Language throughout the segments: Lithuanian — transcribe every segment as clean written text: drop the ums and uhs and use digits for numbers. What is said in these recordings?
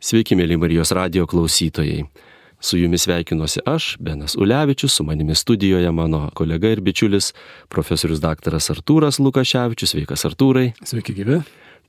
Sveiki, mėly Marijos radijo klausytojai. Su jumis sveikinuosi aš, Benas Ulevičius, su manimi studijoje mano kolega ir bičiulis, profesorius daktaras Artūras Lukaševičius. Sveikas, Artūrai. Sveiki, gyvi.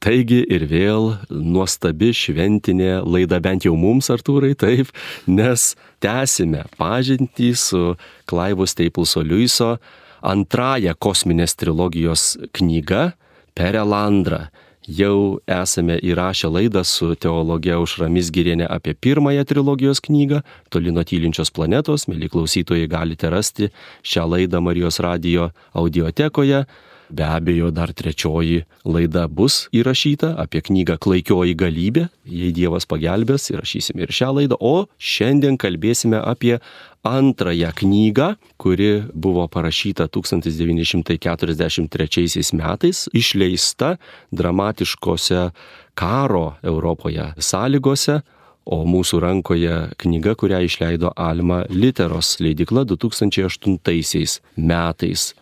Taigi ir vėl nuostabi šventinė laida, bent jau mums, Artūrai, taip, nes tęsime pažintį su Clivo Stapleso Lewiso antrąją kosminės trilogijos knyga Perelandra. Jau esame įrašę laidą su teologe Aušra Mizgiriene apie pirmąją trilogijos knygą Toli nuo tylinčios planetos. Mėly klausytojai, galite rasti šią laidą Marijos radijo audiotekoje. Be abejo, dar trečioji laida bus įrašyta apie knygą Klaikioji galybė. Jei Dievas pagelbės, įrašysime ir šią laidą. O šiandien kalbėsime apie antrąją knygą, kuri buvo parašyta 1943 metais, išleista dramatiškose karo Europoje sąlygose, o mūsų rankoje knyga, kurią išleido Alma Literos leidykla 2008 metais.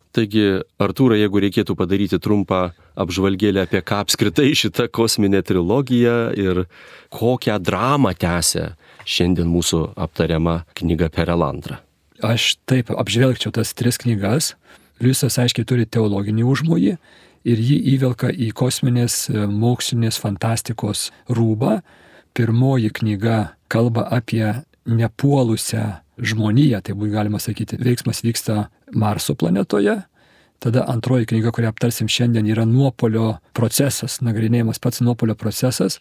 Taigi, Artūrai, jeigu reikėtų padaryti trumpą apžvalgėlę apie ką apskritai šita kosminė trilogija ir kokią dramą tęsia šiandien mūsų aptariama knyga Perelandra. Aš taip apžvelgčiau tas tris knygas. Lewisas aiškiai turi teologinį užmojį ir jį įvelka į kosminės mokslinės fantastikos rūbą. Pirmoji knyga kalba apie nepuolusią žmoniją, tai būtų galima sakyti, veiksmas vyksta Marso planetoje. Tada antroji knyga, kurią aptarsim šiandien, yra nuopuolio procesas, nagrinėjimas pats nuopuolio procesas.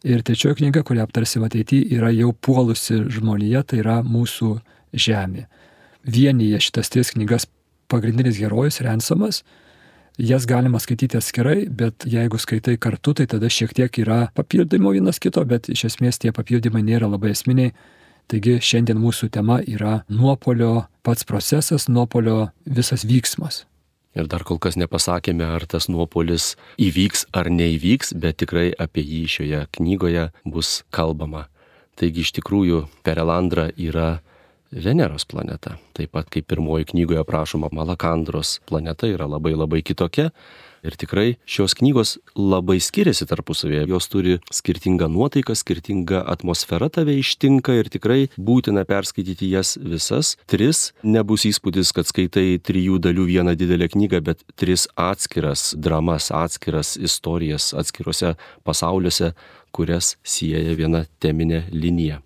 Ir trečioji knyga, kurią aptarsim ateityje, yra jau puolusi žmonija, tai yra mūsų Žemė. Vienyje šitas tris knygas pagrindinis herojus Ransomas. Jas galima skaityti atskirai, bet jeigu skaitai kartu, tai tada šiek tiek yra papildymų vienas kito, bet iš esmės tie papildymai nėra labai esminiai. Taigi šiandien mūsų tema yra nuopuolio pats procesas, nuopuolio visas vyksmas. Ir dar kol kas nepasakėme, ar tas nuopuolis įvyks ar neįvyks, bet tikrai apie jį šioje knygoje bus kalbama. Taigi iš tikrųjų Perelandra yra Veneros planeta. Taip pat kaip pirmoji knygoje aprašoma Malakandros planeta yra labai kitokia. Ir tikrai šios knygos labai skiriasi tarpusavėje. Jos turi skirtingą nuotaiką, skirtingą atmosferą tave ištinka ir tikrai būtina perskaityti jas visas. Tris. Nebus įspūdis, kad skaitai 3 dalių vieną didelę knygą, bet 3 atskiras dramas, atskiras istorijas, atskiruose pasauliuose, kurias sieja viena teminė linija.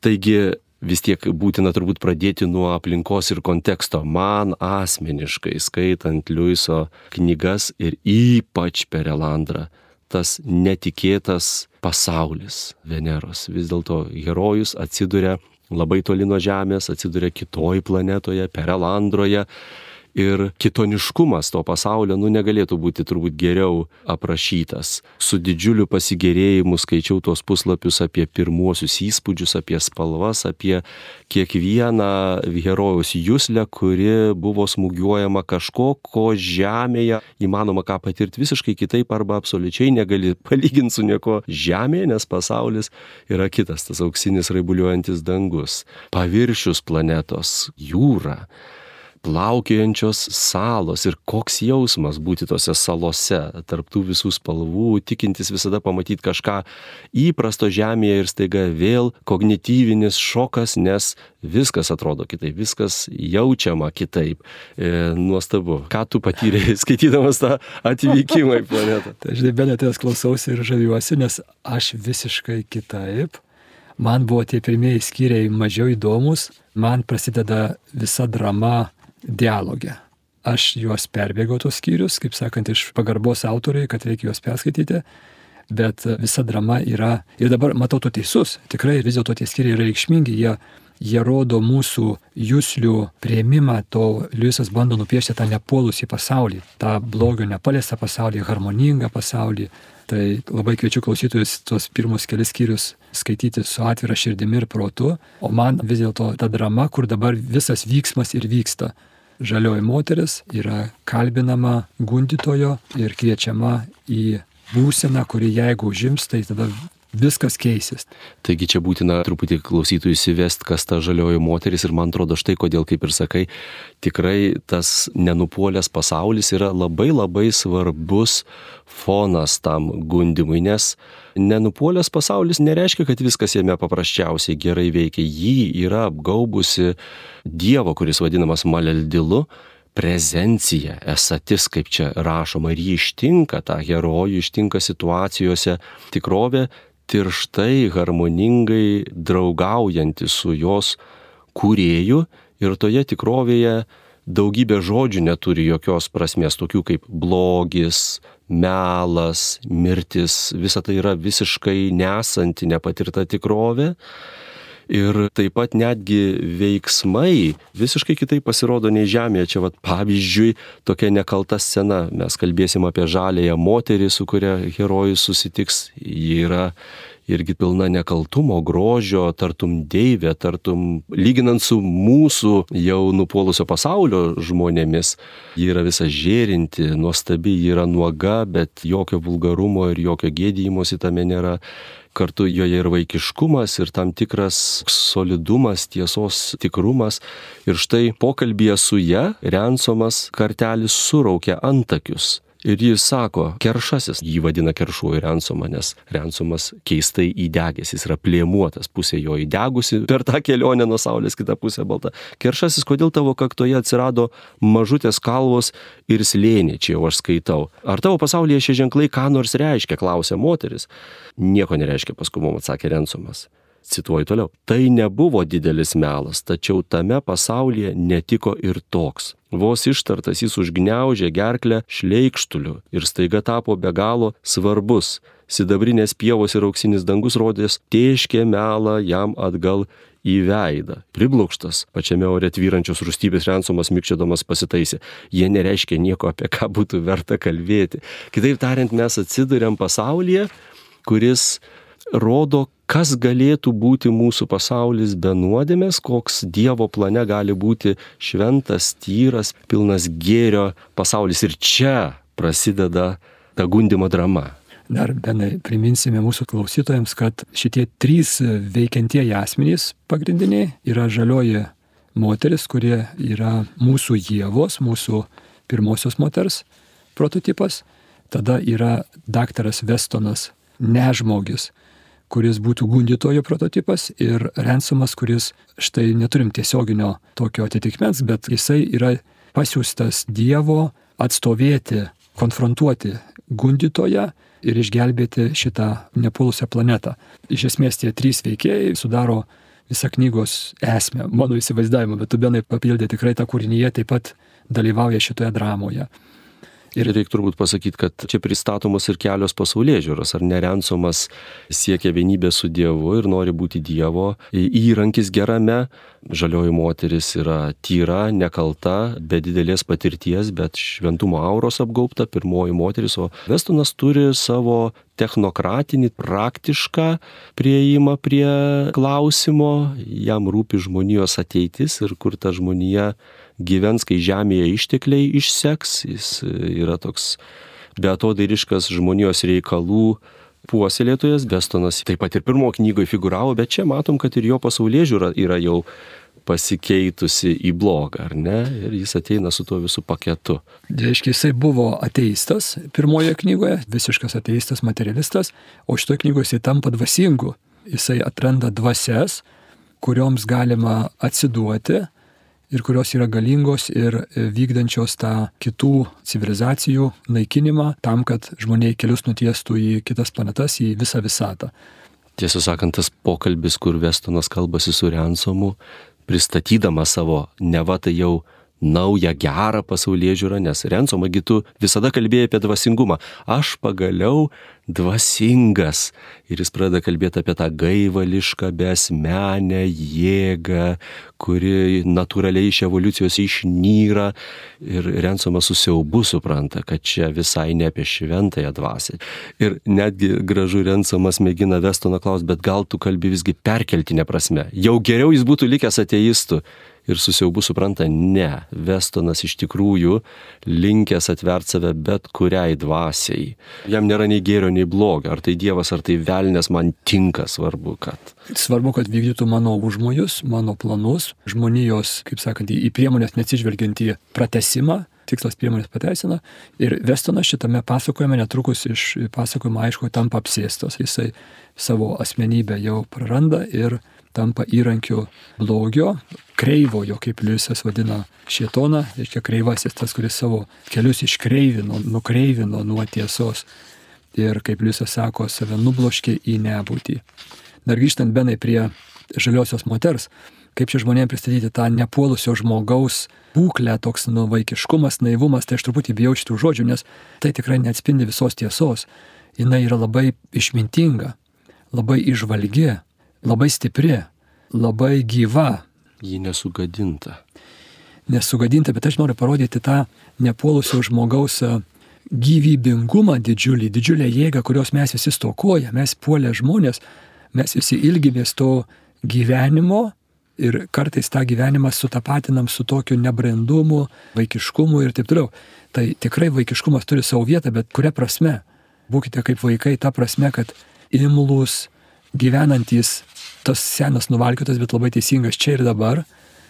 Taigi vis tiek būtina turbūt pradėti nuo aplinkos ir konteksto. Man asmeniškai, skaitant Lewiso knygas ir ypač Perelandrą, tas netikėtas pasaulis Veneros. Vis dėlto herojus atsiduria labai toli nuo Žemės, atsiduria kitoj planetoje, Perelandroje. Ir kitoniškumas to pasaulio negalėtų būti turbūt geriau aprašytas. Su didžiuliu pasigėrėjimu skaičiau tuos puslapius apie pirmuosius įspūdžius, apie spalvas, apie kiekvieną herojaus juslę, kuri buvo smūgiuojama kažko, ko Žemėje įmanoma ką patirti visiškai kitaip arba absoliučiai negali palyginti su nieko Žemėje, nes pasaulis yra kitas, tas auksinis raibuliuojantis dangus, paviršius planetos, jūra, plaukiojančios salos ir koks jausmas būti tose salose, tarptų visų spalvų, tikintis visada pamatyti kažką įprasto Žemėje ir staiga vėl kognityvinis šokas, nes viskas atrodo kitaip, viskas jaučiama kitaip. Nuostabu. Ką tu patyrei skaitydamas tą atvykimą į planetą? Tai žinai, Benetės klausausi ir žaviuosi, nes aš visiškai kitaip. Man buvo tie pirmieji skyriai mažiau įdomus. Man prasideda visa drama dialogė. Aš juos perbėgau tos skyrius, kaip sakant, iš pagarbos autoriai, kad reikia juos perskaityti, bet visa drama yra, ir dabar matau tu teisus, tikrai vis dėlto tie skyriai yra reikšmingi, jie rodo mūsų juslių priėmimą, to Lewisas bando nupiešti tą nepuolusį pasaulį, tą blogio nepaliestą pasaulį, harmoningą pasaulį. Tai labai kviečiu klausytojus tuos pirmus kelis skyrius skaityti su atvira širdimi ir protu, o man vis dėlto ta drama, kur dabar visas vyksmas ir vyksta. Žalioji moteris yra kalbinama gundytojo ir kviečiama į būseną, kuri jeigu užims, tai tada viskas keisis. Taigi čia būtina truputį klausytojų įsivest, kas ta žalioji moteris ir man atrodo štai kodėl, kaip ir sakai, tikrai tas nenupuolęs pasaulis yra labai labai svarbus fonas tam gundimui, nes nenupuolęs pasaulis nereiškia, kad viskas jame paprasčiausiai gerai veikia. Jį yra apgaubusi Dievo, kuris vadinamas Maleldilu, prezencija, esatis, kaip čia rašoma, ir jį ištinka, tą herojų ištinka situacijose tikrovė, tirštai, harmoningai draugaujanti su jos kūrėju ir toje tikrovėje daugybė žodžių neturi jokios prasmės, tokių kaip blogis, melas, mirtis, visa tai yra visiškai nesanti, nepatirta tikrovė. Ir taip pat netgi veiksmai visiškai kitaip pasirodo nei žemėje. Čia pavyzdžiui tokia nekalta scena. Mes kalbėsim apie žaliąją moterį, su kuria herojus susitiks. Ji yra irgi pilna nekaltumo, grožio, tartum deivė, tartum lyginant su mūsų jau nupuolusio pasaulio žmonėmis. Ji yra visa žėrinti, nuostabi, ji yra nuoga, bet jokio vulgarumo ir jokio gėdijimosi tame nėra. Kartu joje ir vaikiškumas, ir tam tikras solidumas, tiesos tikrumas. Ir štai pokalbyje su ja Rensomas kartelis suraukia antakius. Ir jis sako, keršasis, jį vadina keršuoju Rensomą, nes Rensomas keistai įdegęs, jis yra plėmuotas, pusė jo įdegusi per tą kelionę nuo saulės, kita pusė balta. Keršasis, kodėl tavo kaktoje atsirado mažutės kalvos ir slėniai, čia jau aš skaitau. Ar tavo pasaulyje šie ženklai ką nors reiškia, klausė moteris. Nieko nereiškia, paskui mums atsakė Rensomas. Cituoju toliau. Tai nebuvo didelis melas, tačiau tame pasaulyje netiko ir toks. Vos ištartas jis užgniaužė gerklę šleikštuliu ir staiga tapo be galo svarbus. Sidabrinės pievos ir auksinis dangus rodės tėškė melą jam atgal į veidą. Priblokštas pačiame ore tvyrančios rūstybės Rensomas mikčiodamas pasitaisė. Jie nereiškia nieko, apie ką būtų verta kalbėti. Kitaip tariant, mes atsiduriam pasaulyje, kuris rodo, kas galėtų būti mūsų pasaulis be nuodėmės, koks Dievo plane gali būti šventas, tyras, pilnas gėrio pasaulis. Ir čia prasideda ta gundymo drama. Dar Benai priminsime mūsų klausytojams, kad šitie trys veikiantieji asmenys pagrindiniai yra žalioji moteris, kurie yra mūsų Ievos, mūsų pirmosios moters prototipas. Tada yra daktaras Westonas, nežmogis, kuris būtų gundytojo prototipas, ir Rensomas, kuris štai neturim tiesioginio tokio atitikmens, bet jisai yra pasiųstas Dievo atstovėti, konfrontuoti gundytoją ir išgelbėti šitą nepuolusią planetą. Iš esmės tie trys veikėjai sudaro visą knygos esmę, mano įsivaizdavimą, bet tu, Benai, papildė tikrai tą kūrinyje, taip pat dalyvauja šitoje dramoje. Ir reikia turbūt pasakyti, kad čia pristatomos ir kelios pasaulėžiūros. Ar ne Rensomas siekia vienybę su Dievu ir nori būti Dievo įrankis gerame. Žalioji moteris yra tyra, nekalta, be didelės patirties, bet šventumo auros apgaubta, pirmoji moteris. O Westonas turi savo technokratinį, praktišką prieimą prie klausimo. Jam rūpi žmonijos ateitis ir kur ta žmonija gyvens, kai žemėje ištekliai išseks. Jis yra toks beatodairiškas žmonijos reikalų puoselėtojas. Westonas taip pat ir pirmo knygoje figuravo, bet čia matom, kad ir jo pasaulėžiūra yra jau pasikeitusi į blogą, ar ne? Ir jis ateina su tuo visų paketu. Reiškia, jisai buvo ateistas pirmoje knygoje, visiškas ateistas, materialistas, o šitoje knygoje jisai tampa dvasingu. Jisai atranda dvasias, kurioms galima atsiduoti ir kurios yra galingos ir vykdančios tą kitų civilizacijų naikinimą tam, kad žmonėai kelius nutiestų į kitas planetas, į visą visatą. Tiesą sakant, tas pokalbis, kur Westonas kalbasi su Rensomu, pristatydama savo neva tai jau naują gerą pasaulėžiūrą, nes Rensomą gi tu visada kalbėjai apie dvasingumą. Aš pagaliau dvasingas. Ir jis pradeda kalbėti apie tą gaivališką, besmenę jėgą, kuri natūraliai iš evoliucijos išnyra. Ir Rensomas su siaubu supranta, kad čia visai ne apie šventąją dvasią. Ir netgi gražu Rensomas mėgina Westoną klausti, bet gal tu kalbi visgi perkeltinė prasme. Jau geriau jis būtų likęs ateistu. ir su siaubu supranta, ne, Westonas iš tikrųjų linkęs atverti save bet kuriai dvasiai. Jam nėra nei gėrio, nei blogio, ar tai Dievas, ar tai velnias, man tinka, svarbu, kad vykdytų mano užmojus, mano planus, žmonijos, kaip sakant, į priemonės neatsižvelgiant į pratesimą, tikslas priemonės pateisina. Ir Westonas šitame pasakojime netrukus iš pasakojimo aišku tampa apsėstas. Jisai savo asmenybę jau praranda ir tampa įrankiu blogio, kreivojo, kaip Liujisas vadina šėtoną, reiškia kreivasis, tas, kuris savo kelius nukreivino nuo tiesos. Ir kaip Liujisas sako, save nubloškė į nebūtį. Dar grįžtant Benai prie žaliosios moters, kaip čia žmonėms pristatyti tą nepuolusio žmogaus būklę, toks vaikiškumas, naivumas, tai aš truputį bijau šitų žodžių, nes tai tikrai neatspindi visos tiesos. Jis yra labai išmintinga, labai įžvalgi, labai stipri, labai gyva. Ji nesugadinta. Nesugadinta, bet aš noriu parodyti tą nepuolusio žmogaus gyvybingumą didžiulę jėgą, kurios mes visi stokojame. Mes puolę žmonės, mes visi ilgimės to gyvenimo ir kartais tą gyvenimą sutapatinam su tokiu nebrandumu, vaikiškumu ir taip toliau. Tai tikrai vaikiškumas turi savo vietą, bet kuria prasme? Būkite kaip vaikai, ta prasme, kad imlūs, gyvenantys, tas senas nuvalkiotas, bet labai teisingas čia ir dabar.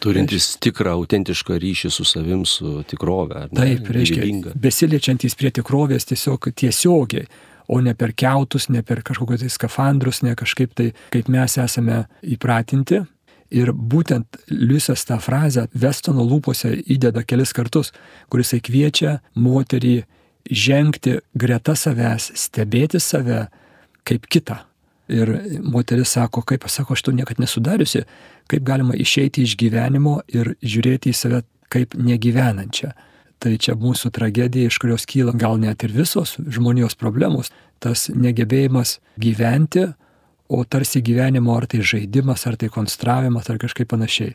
Turintis tikrą, autentišką ryšį su savim, su tikrove. Taip, reiškia, besiliečiantys prie tikrovės tiesiogiai, o ne per kiautus, ne per kažkokius tai skafandrus, ne kažkaip tai, kaip mes esame įpratinti. Ir būtent Liujisas tą frazę Westono lūpose įdeda kelis kartus, kuris kviečia moterį žengti greta savęs, stebėti save kaip kitą. Ir moteris sako, kaip aš sako, aš to niekad nesudariusi, kaip galima išeiti iš gyvenimo ir žiūrėti į save kaip negyvenančią. Tai čia mūsų tragedija, iš kurios kyla gal net ir visos žmonijos problemos, tas negebėjimas gyventi, o tarsi gyvenimo ar tai žaidimas, ar tai konstravimas, ar kažkaip panašiai.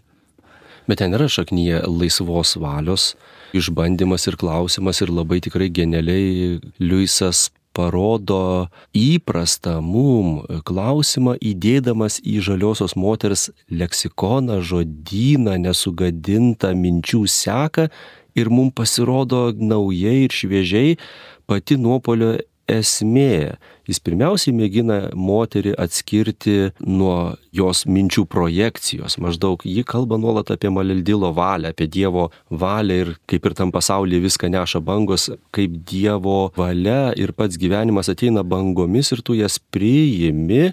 Bet ten yra šaknyje laisvos valios išbandymas ir klausimas ir labai tikrai genialiai Liujisas parodo įprastą mum klausimą įdėdamas į žaliosios moters leksikoną, žodyną, nesugadintą minčių seką ir mum pasirodo naujai ir šviežiai pati nuopuolio esmė. Jis pirmiausiai mėgina moterį atskirti nuo jos minčių projekcijos. Maždaug ji kalba nuolat apie Maleldilo valią, apie Dievo valią ir kaip ir tam pasaulyje viską neša bangos, kaip Dievo valia ir pats gyvenimas ateina bangomis ir tu jas priimi.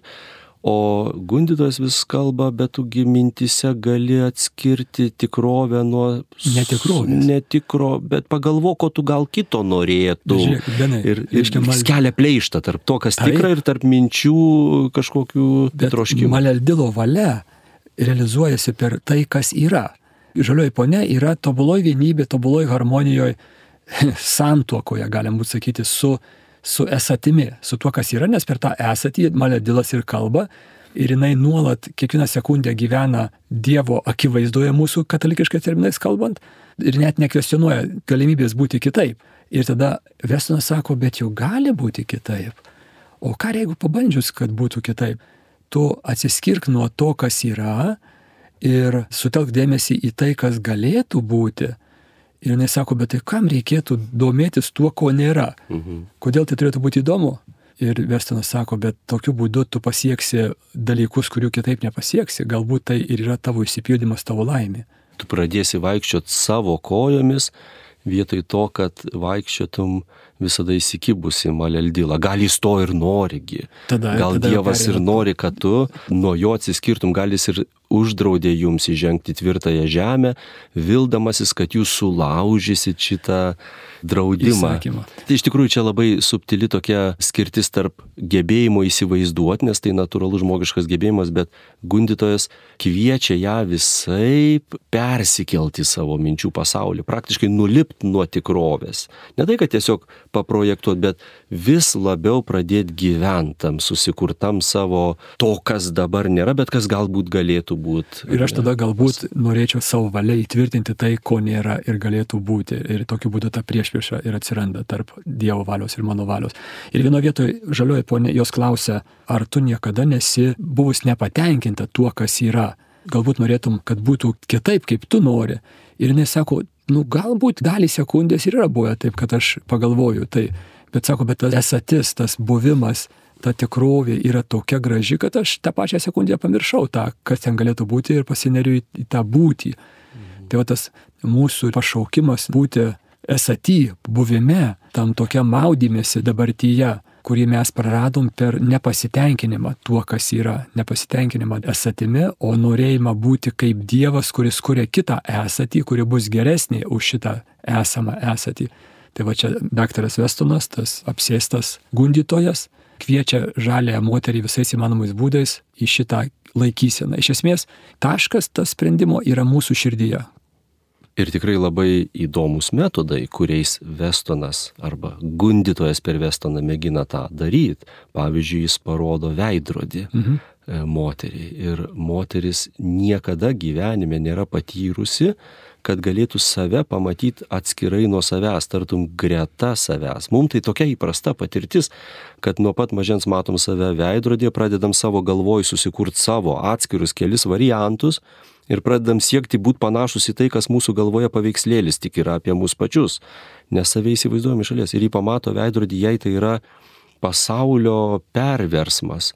O gundytojas vis kalba, bet tugi mintise gali atskirti tikrovę nuo netikro, bet pagalvok, ko tu gal kito norėtų. Žiūrėk, Benai, ir kelia pleištą tarp to, kas tikra ir tarp minčių kažkokių troškimų. Maleldilo valia realizuojasi per tai, kas yra. Žalioji ponia yra tobuloj vienybė, tobuloj harmonijoje, santuokoje, galim būt sakyti, su esatimi, su tuo, kas yra, nes per tą esatį Maledilas ir kalba ir jinai nuolat kiekvieną sekundę gyvena Dievo akivaizdoje mūsų katalikiškais terminais kalbant ir net nekvestionuoja galimybės būti kitaip. Ir tada Westonas sako, bet jau gali būti kitaip. O ką jeigu pabandžius, kad būtų kitaip? Tu atsiskirk nuo to, kas yra ir sutelk dėmesį į tai, kas galėtų būti. Ir jinai sako, bet tai kam reikėtų domėtis tuo, ko nėra? Kodėl tai turėtų būti įdomu? Ir Westonas sako, bet tokiu būdu tu pasieksi dalykus, kurių kitaip nepasieksi. Galbūt tai ir yra tavo išsipildymas, tavo laimė. Tu pradėsi vaikščioti savo kojomis, vietoj to, kad vaikščiotum visada įsikibusi Maleldilą. Gal jis to ir norigi. Gal Dievas ir nori, kad tu nuo jo atsiskirtum. Gal jis ir uždraudė jums įžengti tvirtąją žemę, vildamasis, kad jūs sulaužysit šitą draudimą. Įsakymą. Tai iš tikrųjų čia labai subtili tokia skirtis tarp gebėjimo įsivaizduoti, nes tai natūralus žmogiškas gebėjimas, bet gundytojas kviečia ją visaip persikelti savo minčių pasaulį, praktiškai nulipti nuo tikrovės. Ne tai, kad tiesiog paprojektuoti, bet vis labiau pradėti gyventam, susikurtam savo to, kas dabar nėra, bet kas galbūt galėtų būti. Ir aš tada galbūt norėčiau savo valia įtvirtinti tai, ko nėra ir galėtų būti. Ir tokiu būdu ta priešprieša ir atsiranda tarp Dievo valios ir mano valios. Ir vieno vietoje žalioji ponė jos klausia, ar tu niekada nesi buvus nepatenkinta tuo, kas yra. galbūt norėtum, kad būtų kitaip, kaip tu nori. Ir jinai sako, galbūt dalį sekundės ir yra buvę taip, kad aš pagalvoju tai. Bet sako, bet tas esatis, tas buvimas, ta tikrovė yra tokia graži, kad aš tą pačią sekundę pamiršau tą, kas ten galėtų būti ir pasineriu į tą būtį. Tai va tas mūsų pašaukimas būti esaty, buvime, tam tokia maudymėsi dabartyje, kurį mes praradom per nepasitenkinimą tuo, kas yra, nepasitenkinimą esatimi, o norėjimą būti kaip Dievas, kuris kuria kitą esatį, kuri bus geresnė už šitą esamą esatį. Tai va čia daktaras Westonas, tas apsėstas gundytojas, kviečia žaliąją moterį visais įmanomais būdais į šitą laikyseną. Iš esmės, taškas tas sprendimo yra mūsų širdyje. Ir tikrai labai įdomus metodai, kuriais Westonas arba gundytojas per Westoną mėgina tą daryti. Pavyzdžiui, jis parodo veidrodį moteriai. Ir moteris niekada gyvenime nėra patyrusi, kad galėtų save pamatyti atskirai nuo savęs, tartum greta savęs. Mums tai tokia įprasta patirtis, kad nuo pat mažens matom save veidrodėje, pradedam savo galvoj susikurti savo atskirus kelis variantus ir pradedam siekti būti panašus į tai, kas mūsų galvoje paveikslėlis tik yra apie mus pačius. Nes save įsivaizduojam iš šalies ir jį pamato veidrodį, jai tai yra pasaulio perversmas.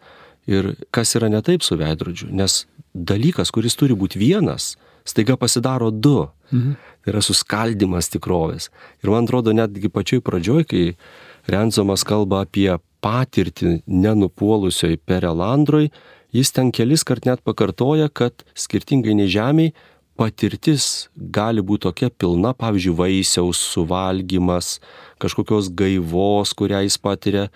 Ir kas yra ne taip su veidrodžiu, nes dalykas, kuris turi būti vienas, staiga pasidaro du. Tai yra suskaldimas tikrovės. Ir man atrodo, netgi pačioj pradžioj, kai Rensomas kalba apie patirtį nenupuolusioj Perelandroj, jis ten kelis kart net pakartoja, kad skirtingai nei žemėj, patirtis gali būti tokia pilna, pavyzdžiui, vaisiaus suvalgymas, kažkokios gaivos, kurią jis patiria,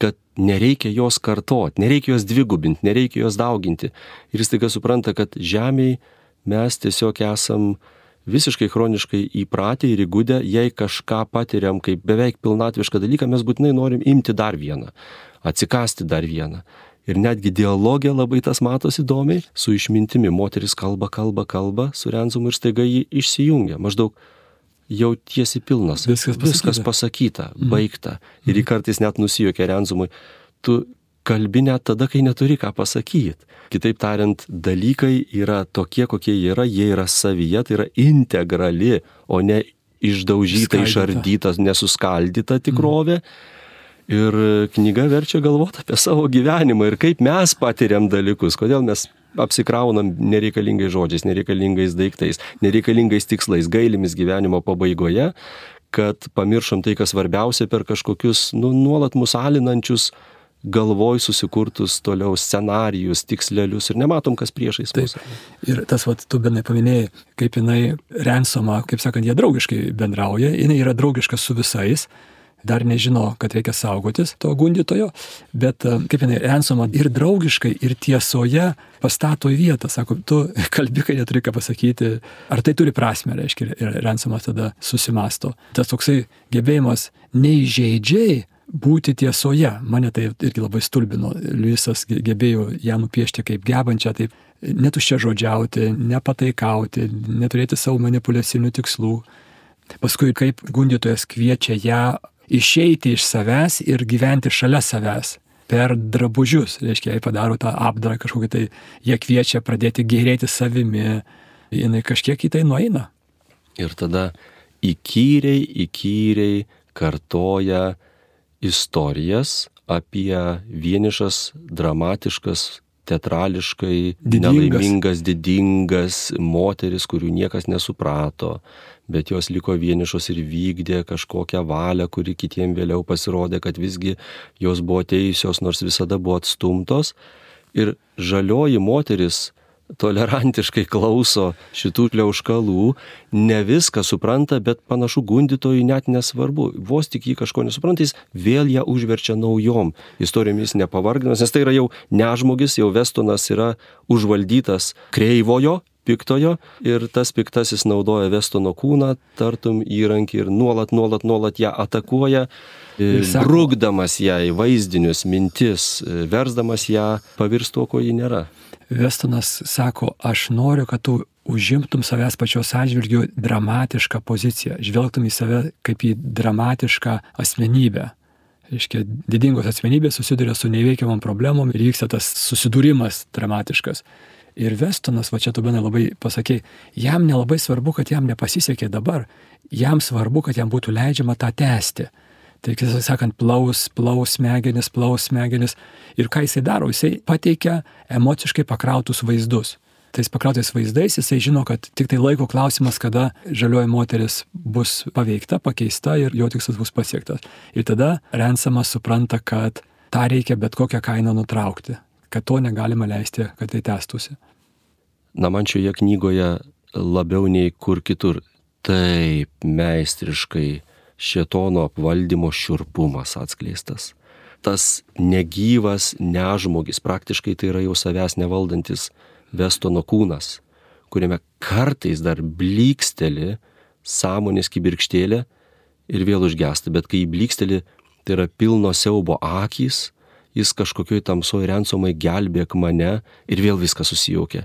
kad nereikia jos kartot, nereikia jos dvigubinti, nereikia jos dauginti. Ir jis staiga supranta, kad žemėj mes tiesiog esam visiškai chroniškai įpratę ir įgudę, jei kažką patiriam kaip beveik pilnatvišką dalyką, mes būtinai norim imti dar vieną, atsikasti dar vieną. Ir netgi dialogė labai tas matosi įdomiai, su išmintimi. Moteris kalba su Rensomu ir staiga jį išsijungia. Maždaug jau tiesi pilnas. Viskas pasakyta, baigta. Ir jį kartais net nusijuokia Rensomui. Tu kalbi net tada, kai neturi ką pasakyti. Kitaip tariant, dalykai yra tokie, kokie jie yra savyje, tai yra integrali, o ne išdaužyta, išardyta, nesuskaldyta tikrovė. Ir knyga verčia galvoti apie savo gyvenimą ir kaip mes patiriam dalykus, kodėl mes apsikraunam nereikalingais žodžiais, nereikalingais daiktais, nereikalingais tikslais, gailimis gyvenimo pabaigoje, kad pamiršom tai, kas svarbiausia per kažkokius nuolat mus alinančius galvoj susikurtus toliau scenarijus, tikslelius ir nematom, kas priešais mus. Ir tas, tu benai paminėjai, kaip jinai Rensomą, kaip sakant, jie draugiškai bendrauja, jinai yra draugiška su visais, dar nežino, kad reikia saugotis to gundytojo, bet kaip jinai Rensomą ir draugiškai, ir tiesoje pastato į vietą. Sako, tu kalbi, kai neturi ką pasakyti, ar tai turi prasmę, reiškia, ir Rensomas tada susimasto. Tas toksai gebėjimas neįžeidžiai būti tiesoje. Mane tai irgi labai stulbino. Liujisas gebėjo ją nupiešti kaip gebančią, taip netuščiažodžiauti, nepataikauti, neturėti savo manipuliacinių tikslų. Paskui kaip gundytojas kviečia ją išeiti iš savęs ir gyventi šalia savęs per drabužius. Reiškia, jai padaro tą apdarą kažkokį, tai jie kviečia pradėti gėrėti savimi, jinai kažkiek į tai nueina. Ir tada įkyriai kartoja istorijas apie vienišas, dramatiškas, teatrališkai nelaimingas, didingas moteris, kurių niekas nesuprato, bet jos liko vienišos ir vykdė kažkokią valią, kuri kitiem vėliau pasirodė, kad visgi jos buvo teisios, nors visada buvo atstumtos. Ir žalioji moteris tolerantiškai klauso šitų pliauškalų, ne viską supranta, bet panašu gundytojui net nesvarbu. Vos tik jį kažko nesupranta, jis vėl ją užverčia naujom istorijomis nepavargdamas, nes tai yra jau nežmogis, jau Westonas yra užvaldytas kreivojo, piktojo, ir tas piktasis naudoja Westono kūną, tartum įrankį, ir nuolat ją atakuoja, brukdamas ją į vaizdinius, mintis, versdamas ją pavirsti tuo, ko ji nėra. Westonas sako, aš noriu, kad tu užimtum savęs pačios atžvilgiu dramatišką poziciją, žvelgtum į save kaip į dramatišką asmenybę. Reiškia, didingos asmenybės susiduria su neįveikiamom problemom ir vyksta tas susidūrimas dramatiškas. Ir Westonas, va čia tu Benai labai pasakei, jam nelabai svarbu, kad jam nepasisekė dabar, jam svarbu, kad jam būtų leidžiama tą tęsti. Tai, kaip sakant, plaus smegenis. Ir ką jisai daro, jisai pateikia emociškai pakrautus vaizdus. Tais pakrautais vaizdais jisai žino, kad tik tai laiko klausimas, kada žalioji moteris bus paveikta, pakeista ir jo tikslas bus pasiektas. Ir tada Ransomas supranta, kad tą reikia bet kokią kainą nutraukti, kad to negalima leisti, kad tai tęstųsi. Na, man šioje knygoje labiau nei kur kitur taip meistriškai šėtono apvaldymo šiurpumas atskleistas. Tas negyvas nežmogis, praktiškai tai yra jau savęs nevaldantis Westono kūnas, kuriame kartais dar blyksteli sąmonės kibirkštėlė ir vėl užgesta, bet kai blyksteli, tai yra pilno siaubo akys, jis kažkokioj tamsoj Ransomai gelbėk mane ir vėl viskas susijaukia.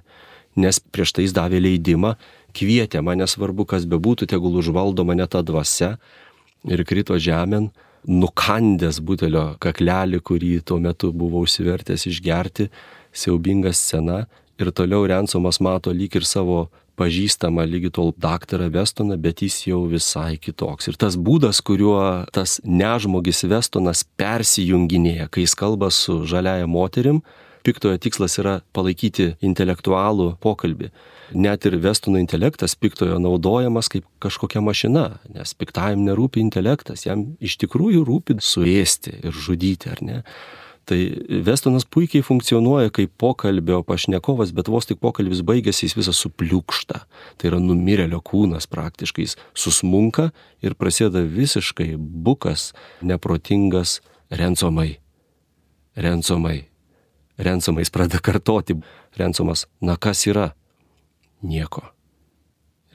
Nes prieš tai jis davė leidimą, kvietė mane, svarbu kas bebūtų, tegul užvaldo mane ta dvasia ir krito žemėn, nukandęs butelio kaklelį, kurį tuo metu buvo užsivertęs išgerti, siaubinga scena. Ir toliau Ransomas mato lyg ir savo pažįstamą lygi tol daktarą Westoną, bet jis jau visai kitoks. Ir tas būdas, kuriuo tas nežmogis Westonas persijunginėja, kai jis kalba su žaliaja moterim, piktojo tikslas yra palaikyti intelektualų pokalbį. Net ir Westono intelektas piktojo naudojamas kaip kažkokia mašina, nes piktajam nerūpi intelektas, jam iš tikrųjų rūpi suėsti ir žudyti, ar ne? Tai Westonas puikiai funkcionuoja kaip pokalbio pašnekovas, bet vos tik pokalbis baigėsi, jis visas supliukšta. Tai yra numirėlio kūnas praktiškai, jis susmunka ir prasideda visiškai bukas, neprotingas Ransomai. Ransomais pradeda kartoti. Ransomas, na kas yra? Nieko.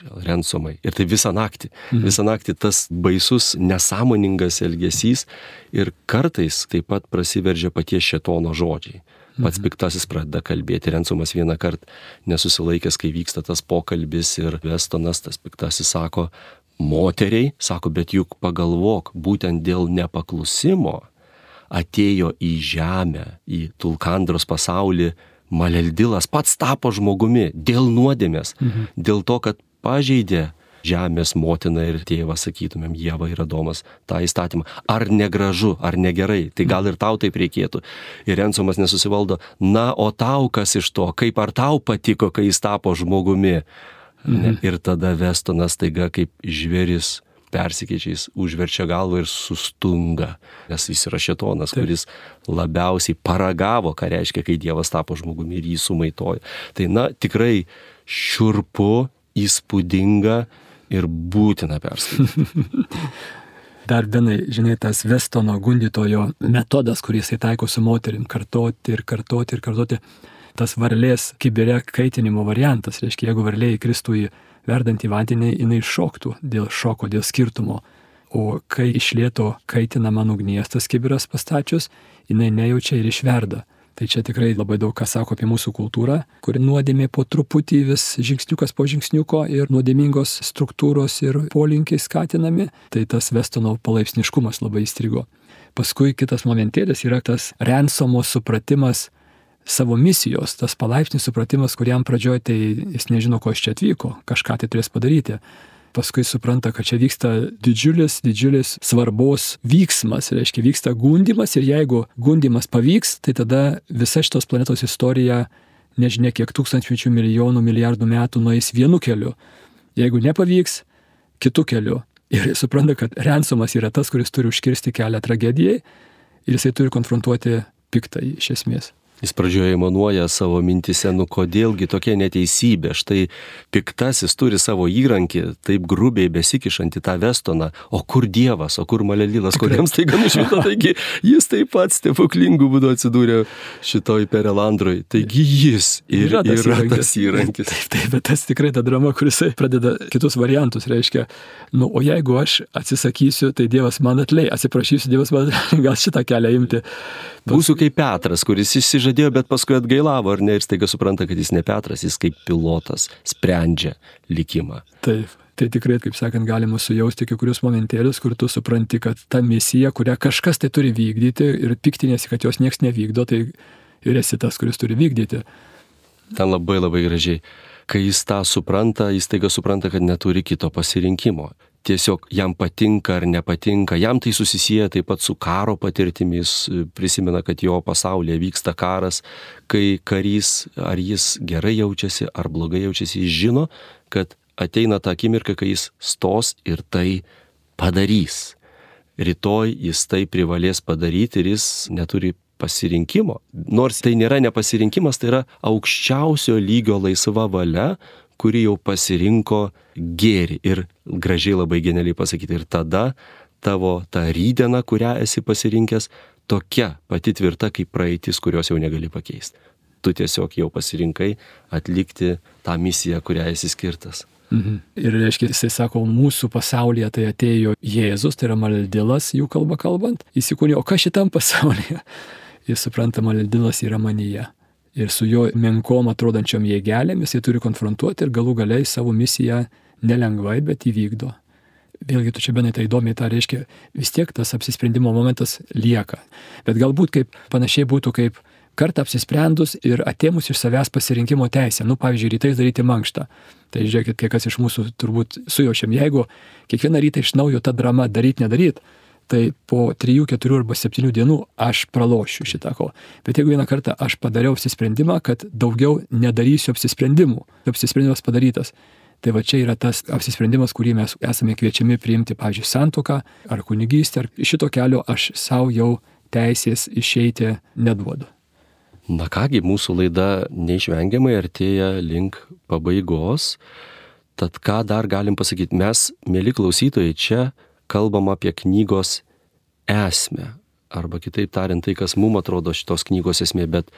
Ransomai. Ir tai visą naktį tas baisus, nesąmoningas elgesys ir kartais taip pat prasiveržia paties šėtono žodžiai. Pats piktasis pradeda kalbėti. Ransomas vieną kartą nesusilaikęs, kai vyksta tas pokalbis ir Westonas, tas piktasis sako, moteriai, sako, bet juk pagalvok, būtent dėl nepaklusimo atėjo į žemę, į Tulkandros pasaulį Maleldilas, pats tapo žmogumi dėl nuodėmės, dėl to, kad pažeidė žemės motina ir tėvą, sakytumėm, Ieva ir Adomas, tą įstatymą. Ar negražu, ar negerai, tai gal ir tau taip reikėtų. Ir Ransomas nesusivaldo, na, o tau kas iš to, kaip ar tau patiko, kai jis tapo žmogumi. Ir tada Westonas taiga kaip žvėris persikeičiais užverčia galvą ir sustunga, nes jis yra šėtonas, kuris labiausiai paragavo, ką reiškia, kai Dievas tapo žmogumi ir jį sumaitojo. Tai na, tikrai šiurpu, įspūdinga ir būtina perskaityti. Dar Benai, žinai, tas Westono gundytojo metodas, kurį jisai taiko su moterim, kartoti, tas varlės kibire kaitinimo variantas, reiškia, jeigu varlė įkristų į verdantį vandenį, jinai šoktų dėl šoko, dėl skirtumo. O kai iš lėto kaitinama ugnies tas kibiras pastačius, jinai nejaučia ir išverda. Tai čia tikrai labai daug ką sako apie mūsų kultūrą, kuri nuodėmė po truputį vis žingsniukas po žingsniuko ir nuodėmingos struktūros ir polinkiai skatinami. Tai tas Westono palaipsniškumas labai įstrigo. Paskui kitas momentėlis yra tas Ransomo supratimas savo misijos, tas palaipsnis supratimas, kuriam pradžioje tai jis nežino, ko iš čia atvyko, kažką tai turės padaryti. Paskui supranta, kad čia vyksta didžiulis svarbos vyksmas, reiškia vyksta gundymas ir jeigu gundymas pavyks, tai tada visa šitos planetos istorija, nežinia kiek tūkstančių, milijonų, milijardų metų nueis vienu keliu. Jeigu nepavyks, kitu keliu. Ir supranta, kad Ransomas yra tas, kuris turi užkirsti kelią tragedijai ir jisai turi konfrontuoti piktąjį iš esmės. Jis pradžioje manuoja savo mintise, nu kodėlgi tokia neteisybė, štai piktasis turi savo įrankį, taip grubiai besikišantį tą Westoną, o kur Dievas, o kur Malelilas, kuriems tai gan išvito, taigi jis taip pat stebuklingų būdu atsidūrė šitoj Perelandroj, taigi jis yra tas įrankis. Taip, bet tas tikrai ta drama, kuris pradeda kitus variantus, reiškia, nu, o jeigu aš atsisakysiu, tai Dievas man atleis, atsiprašysiu, Dievas man atleis, gal šitą kelią imti. Būsiu kaip Petras, kuris išsižadėjo, bet paskui atgailavo, ar ne, ir staiga supranta, kad jis ne Petras, jis kaip pilotas sprendžia likimą. Taip, tai tikrai, kaip sakant, galima sujausti kai kurius momentėlius, kur tu supranti, kad ta misija, kurią kažkas tai turi vykdyti ir piktinėsi, kad jos nieks nevykdo, tai ir esi tas, kuris turi vykdyti. Ten labai labai gražiai. Kai jis tą supranta, jis taiga supranta, kad neturi kito pasirinkimo. Tiesiog jam patinka ar nepatinka, jam tai susisieja taip pat su karo patirtimis, prisimena, kad jo pasaulyje vyksta karas, kai karys, ar jis gerai jaučiasi, ar blogai jaučiasi, jis žino, kad ateina ta akimirka, kai jis stos ir tai padarys. Rytoj jis tai privalės padaryti ir jis neturi pasirinkimo. Nors tai nėra nepasirinkimas, tai yra aukščiausio lygio laisva valia, kuri jau pasirinko gėrį. Ir gražiai labai genialiai pasakyti. Ir tada tavo ta rytdiena, kurią esi pasirinkęs, tokia pati tvirta kaip praeitis, kurios jau negali pakeisti. Tu tiesiog jau pasirinkai atlikti tą misiją, kurią esi skirtas. Ir reiškia, jisai sako, mūsų pasaulyje tai atėjo Jėzus, tai yra Maldilas, jų kalba kalbant, įsikūnė, o kas šitam pasaulyje? Jis supranta, Maldilas yra manyje. Ir su jo menkom atrodančiom jėgelėmis jie turi konfrontuoti ir galų galiai savo misiją nelengvai, bet įvykdo. Vėlgi, tu čia benai tai įdomiai, tai reiškia, vis tiek tas apsisprendimo momentas lieka. Bet galbūt kaip panašiai būtų kaip kartą apsisprendus ir atėmus iš savęs pasirinkimo teisę. Pavyzdžiui, rytais daryti mankštą. Tai žiūrėkit, kiek kas iš mūsų turbūt sujaučiam. Jeigu kiekvieną rytą iš naujo ta drama daryt, tai po 3, 4 arba 7 dienų aš pralošiu šitą ko. Bet jeigu vieną kartą aš padariau apsisprendimą, kad daugiau nedarysiu apsisprendimų, apsisprendimas padarytas, tai va čia yra tas apsisprendimas, kurį mes esame kviečiami priimti, pavyzdžiui, santuoką ar kunigystę, ar šito kelio aš savo jau teisės išeiti neduodu. Na kągi, mūsų laida neišvengiamai artėja link pabaigos, tad ką dar galim pasakyti? Mes, mėly klausytojai, čia kalbam apie knygos esmę, arba kitaip tariant tai, kas mums atrodo šitos knygos esmė, bet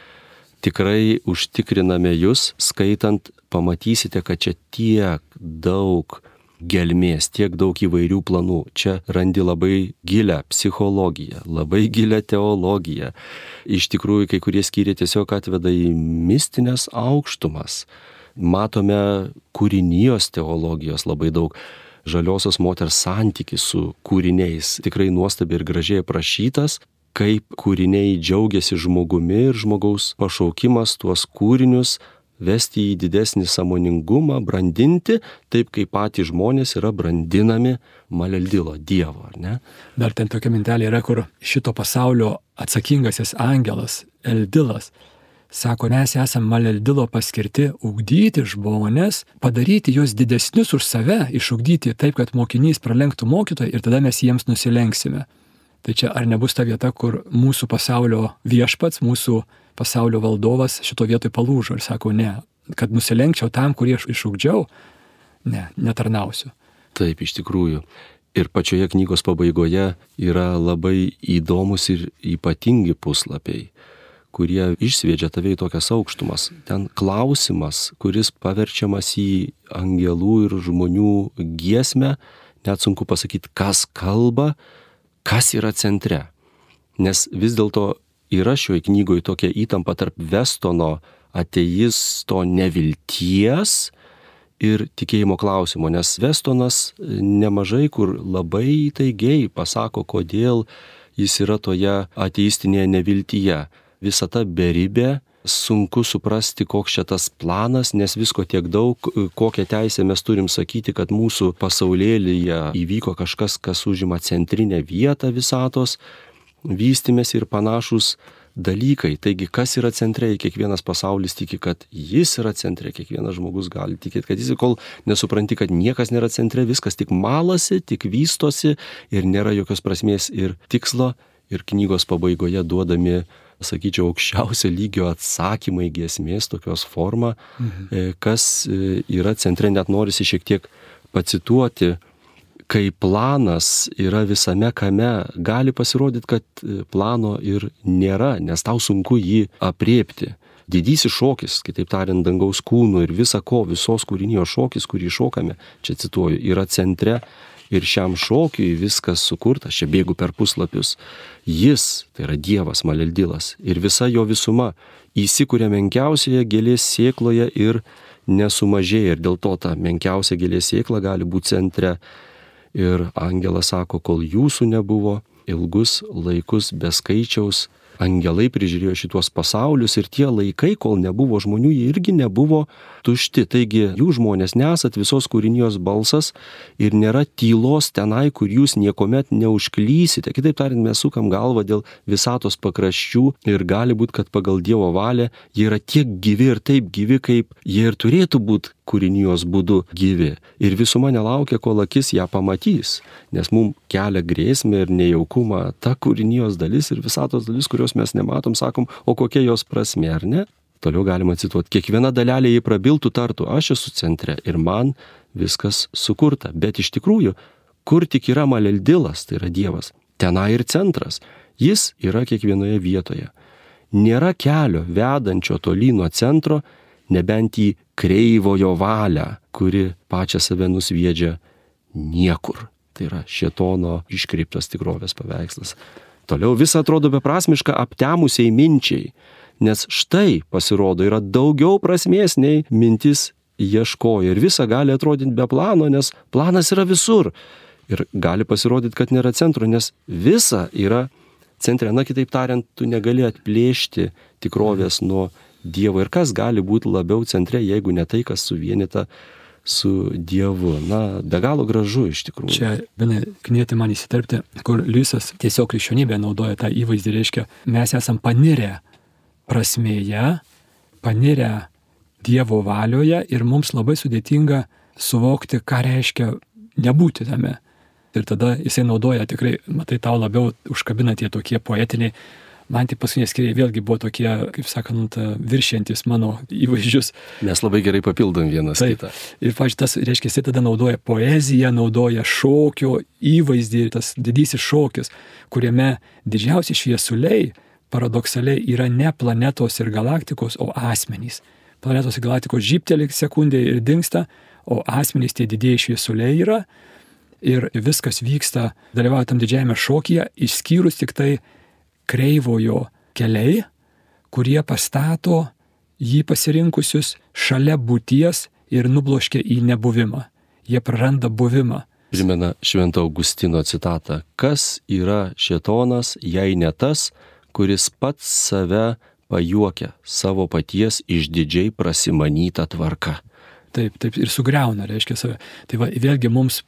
tikrai užtikriname jūs, skaitant, pamatysite, kad čia tiek daug gelmės, tiek daug įvairių planų. Čia randi labai gilią psichologiją, labai gilią teologiją. Iš tikrųjų, kai kurie skyriai tiesiog atveda į mistinės aukštumas. Matome kūrinijos teologijos labai daug. Žaliosios moters santykis su kūriniais tikrai nuostabiai ir gražiai aprašytas, kaip kūriniai džiaugiasi žmogumi ir žmogaus pašaukimas tuos kūrinius vesti į didesnį sąmoningumą, brandinti, taip kaip patys žmonės yra brandinami Maleldilo Dievo, ar ne? Dar ten tokia mintelė yra, kur šito pasaulio atsakingasis angelas, Eldilas, sako, mes esame Maleldilo paskirti ugdyti žmonės, padaryti juos didesnius už save, išugdyti taip, kad mokinys pralenktų mokytoją ir tada mes jiems nusilenksime. Tai čia ar nebus ta vieta, kur mūsų pasaulio viešpats, mūsų pasaulio valdovas šito vietoj palūžo ir sako, ne, kad nusilenkčiau tam, kurį aš išugdžiau, ne, netarnausiu. Taip, iš tikrųjų. Ir pačioje knygos pabaigoje yra labai įdomus ir ypatingi puslapiai, kurie išsviedžia tave į tokias aukštumas. Ten klausimas, kuris paverčiamas į angelų ir žmonių giesmę, net sunku pasakyti, kas kalba, kas yra centre. Nes vis dėlto yra šioje knygoje tokia įtampa tarp Westono ateisto nevilties ir tikėjimo klausimo. Nes Westonas nemažai kur labai įtaigiai pasako, kodėl jis yra toje ateistinėje neviltyje. Visata beribė, sunku suprasti, koks čia tas planas, nes visko tiek daug, kokią teisę mes turim sakyti, kad mūsų pasaulėlyje įvyko kažkas, kas užima centrinę vietą visatos, vystymės ir panašus dalykai. Taigi, kas yra centre, kiekvienas pasaulis tiki, kad jis yra centre, kiekvienas žmogus gali tikėti, kad jis, kol nesupranti, kad niekas nėra centre, viskas tik malasi, tik vystosi ir nėra jokios prasmės ir tikslo. Ir knygos pabaigoje duodami, sakyčiau, aukščiausio lygio atsakymai giesmės tokios forma, kas yra centre, net norisi šiek tiek pacituoti, kai planas yra visame kame, gali pasirodyti, kad plano ir nėra, nes tau sunku jį apriepti. Didysis šokis, kitaip tariant, dangaus kūnų ir visa ko, visos kūrinijos šokis, kurį šokame, čia cituoju, yra centre. Ir šiam šokiui viskas sukurta, čia bėgu per puslapius. Jis, tai yra Dievas, Maleldilas, ir visa jo visuma įsikuria menkiausioje gėlės sėkloje ir nesumažėja. Ir dėl to ta menkiausia gėlės sėkla gali būti centre. Ir angelas sako, kol jūsų nebuvo, ilgus laikus be skaičiaus angelai prižiūrėjo šitos pasaulius ir tie laikai, kol nebuvo žmonių, jie irgi nebuvo tušti. Taigi jūs žmonės nesat visos kūrinijos balsas ir nėra tylos tenai, kur jūs niekuomet neužklysite. Kitaip tariant, mes sukam galvą dėl visatos pakraščių ir gali būti, kad pagal Dievo valią jie yra tiek gyvi ir taip gyvi, kaip jie ir turėtų būti kūrinijos būdu gyvi. Ir visuma nelaukia, kol akis ją pamatys, nes mums kelia grėsmę ir nejaukumą ta kūrinijos dalis ir visatos dalis, kurios mes nematom, sakom, o kokia jos prasmė, ar ne? Toliau galima cituoti, kiekviena dalelė jį prabiltų, tartų, aš esu centre ir man viskas sukurta. Bet iš tikrųjų, kur tik yra Maleldilas, tai yra Dievas, tenai ir centras, jis yra kiekvienoje vietoje. Nėra kelio vedančio tolyn nuo centro, nebent į kreivojo valią, kuri pačią save nusviedžia niekur. Tai yra šėtono iškreiptas tikrovės paveikslas. Toliau visa atrodo beprasmiška aptemusiai minčiai, nes štai pasirodo yra daugiau prasmės nei mintis ieškojo ir visa gali atrodyti be plano, nes planas yra visur. Ir gali pasirodyti, kad nėra centro, nes visa yra centre. Na, kitaip tariant, tu negali atplėšti tikrovės nuo Dievo. Ir kas gali būti labiau centre, jeigu ne tai, kas suvienyta su Dievu. Na, be galo gražu iš tikrųjų. Čia, Benai, knieti man įsiterpti, kur Liujisas tiesiog krikščionybė naudoja tą įvaizdį, reiškia, mes esam panirę prasmėje, panirę Dievo valioje ir mums labai sudėtinga suvokti, ką reiškia nebūti tame. Ir tada jisai naudoja tikrai, matai, tau labiau užkabina tie tokie poetiniai. Man tai paskutiniai skiriai vėlgi buvo tokie, kaip sakant, viršiantis mano įvaizdžius. Mes labai gerai papildom vienas kitą. Ir, pavyzdžiui, tas, reiškia, jisai tada naudoja poeziją, naudoja šokio įvaizdį, tas didysis šokis, kuriame didžiausi šviesuliai paradoksaliai yra ne planetos ir galaktikos, o asmenys. Planetos ir galaktikos žybteli sekundė ir dingsta, o asmenys tie didieji šviesuliai yra. Ir viskas vyksta, dalyvauja tam didžiajame šokyje, išskyrus tik tai kreivojo keliai, kurie pastato jį pasirinkusius šalia būties ir nubloškia į nebuvimą. Jie praranda buvimą. Primena Švento Augustino citatą. Kas yra šėtonas, jei ne tas, kuris pats save pajuokia savo paties išdidžiai prasimanytą tvarką. Taip, ir sugriauna, reiškia save. Tai va, vėlgi mums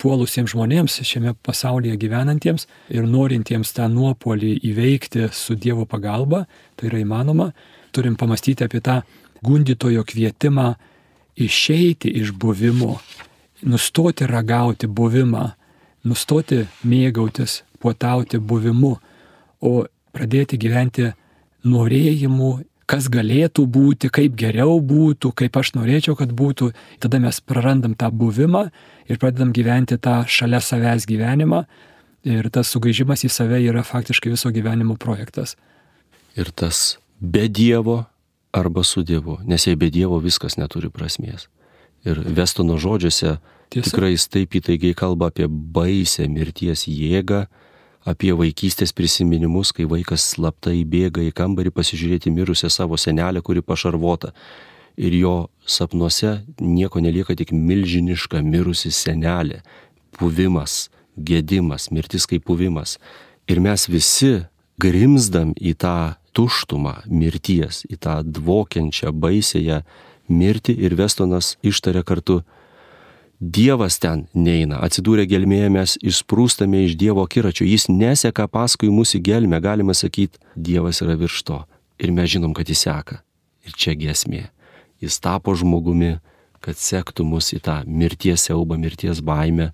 puolusiems žmonėms šiame pasaulyje gyvenantiems ir norintiems tą nuopuolį įveikti su Dievo pagalba, tai yra įmanoma, turim pamastyti apie tą gundytojo kvietimą išeiti iš buvimo, nustoti ragauti buvimą, nustoti mėgautis, puotauti buvimu, o pradėti gyventi norėjimu, kas galėtų būti, kaip geriau būtų, kaip aš norėčiau, kad būtų. Tada mes prarandam tą buvimą ir pradedam gyventi tą šalia savęs gyvenimą. Ir tas sugrįžimas į save yra faktiškai viso gyvenimo projektas. Ir tas be Dievo arba su Dievu, nes jei be Dievo viskas neturi prasmės. Ir Vestono žodžiuose tikrai jis taip įtaigiai kalba apie baisę mirties jėgą, apie vaikystės prisiminimus, kai vaikas slaptai bėga į kambarį pasižiūrėti mirusią savo senelę, kuri pašarvota. Ir jo sapnuose nieko nelieka, tik milžiniška mirusi senelė. Puvimas, gėdimas, mirtis kaip puvimas. Ir mes visi grimzdam į tą tuštumą mirties, į tą dvokiančią, baisėją mirtį ir Vestonas ištaria kartu: Dievas ten neina, atsidūrę gelmėje mes išsprūstame iš Dievo akiračio, jis neseka paskui mūsų gelmę, galima sakyti, Dievas yra virš to. Ir mes žinom, kad jis seka. Ir čia giesmė. Jis tapo žmogumi, kad sektų mus į tą mirties siaubą, mirties baimę.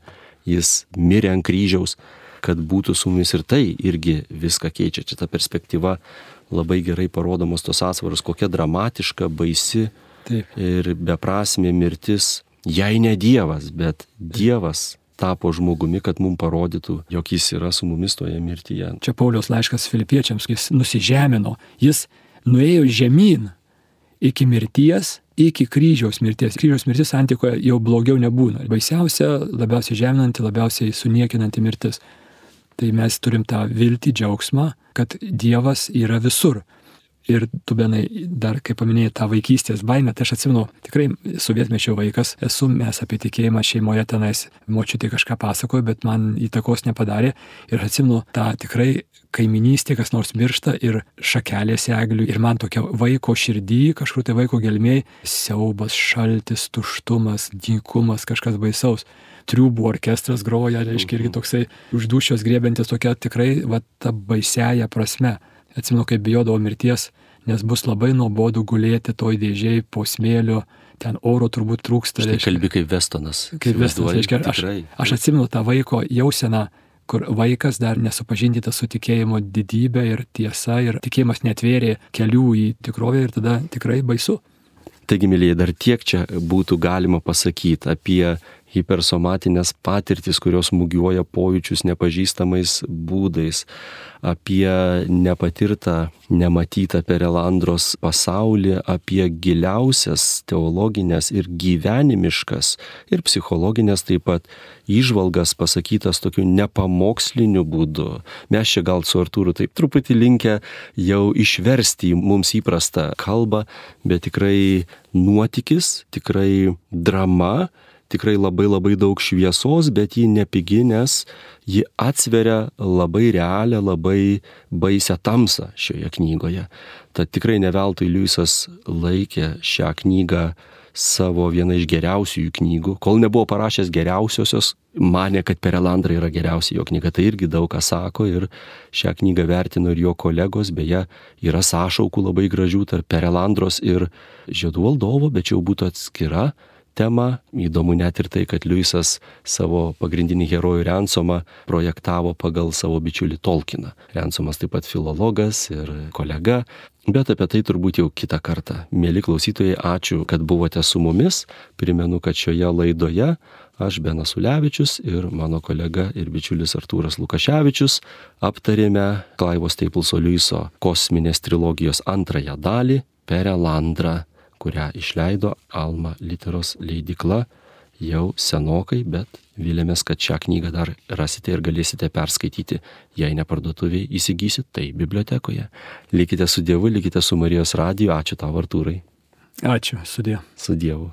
Jis mirė ant kryžiaus, kad būtų su mumis, ir tai irgi viską keičia. Čia ta perspektyva labai gerai parodomos tos atsvaros, kokia dramatiška, baisi ir beprasmė mirtis. Jei ne Dievas, bet Dievas tapo žmogumi, kad mums parodytų, jog jis yra su mumis toje mirtyje. Čia Pauliaus laiškas Filipiečiams, jis nusižemino, jis nuėjo žemyn iki mirties, iki kryžiaus mirties. Kryžiaus mirtis antikoje jau blogiau nebūna. Baisiausia, labiausiai žeminanti, labiausiai suniekinanti mirtis. Tai mes turim tą viltį, džiaugsmą, kad Dievas yra visur. Ir tu, Benai, dar kai paminėjai tą vaikystės baimę, tai aš atsimenu, tikrai sovietmečio vaikas esu, mes apie tikėjimą šeimoje tenais, močiutė kažką pasakojo, bet man įtakos nepadarė. Ir atsimenu tą tikrai kaiminystė, kas nors miršta ir šakelės eglių. Ir man tokia vaiko širdį, kažkur tai vaiko gelmėj, siaubas, šaltis, tuštumas, dykumas, kažkas baisaus. Triūbų orkestras groja, reiškia, irgi toksai uždūšios griebiantis tokia tikrai va, ta baisiaja prasme. Atsimenu, kaip bijodavau mirties, nes bus labai nuobodu gulėti toj dėžėj po smėlio, ten oro turbūt trūksta. Štai kalbi kaip Vestonas. Kaip Vestonas, reiškia, aš atsimenu tą vaiko jauseną, kur vaikas dar nesupažindytas su tikėjimo didybė ir tiesa, ir tikėjimas netvėrė kelių į tikrovę ir tada tikrai baisu. Taigi, mylėjai, dar tiek čia būtų galima pasakyti apie hipersomatinės patirtis, kurios smūgiuoja pojūčius nepažįstamais būdais, apie nepatirtą, nematytą Perelandros pasaulį, apie giliausias teologinės ir gyvenimiškas ir psichologinės taip pat įžvalgas pasakytas tokiu nepamoksliniu būdu. Mes čia gal su Artūru taip truputį linkę jau išversti į mums įprastą kalbą, bet tikrai nuotykis, tikrai drama, tikrai labai daug šviesos, bet ji nepigi, nes ji atsveria labai realią, labai baisią tamsą šioje knygoje. Tad tikrai ne veltui Liujisas laikė šią knygą savo viena iš geriausiųjų knygų. Kol nebuvo parašęs geriausiosios, manė, kad Perelandra yra geriausia jo knyga. Tai irgi daug ką sako ir šią knygą vertino ir jo kolegos. Beje, yra sąšaukų labai gražių tarp Perelandros ir Žiedų valdovo, bet čia jau būtų atskira tema. Įdomu net ir tai, kad Liujisas savo pagrindinį herojų Rensomą projektavo pagal savo bičiulį Tolkieną. Rensomas taip pat filologas ir kolega, bet apie tai turbūt jau kitą kartą. Mieli klausytojai, ačiū, kad buvote su mumis. Primenu, kad šioje laidoje aš, Benas Ulevičius ir mano kolega ir bičiulis Artūras Lukaševičius aptarėme Clivo Stapleso Liujiso kosminės trilogijos antrąją dalį Perelandra, kurią išleido Alma Literos leidykla jau senokai, bet vilėmės, kad šią knygą dar rasite ir galėsite perskaityti, jei ne parduotuvėje įsigysit, tai bibliotekoje. Likite su Dievu, likite su Marijos radiju. Ačiū tau, Artūrai. Ačiū, su Dievu. Su Dievu.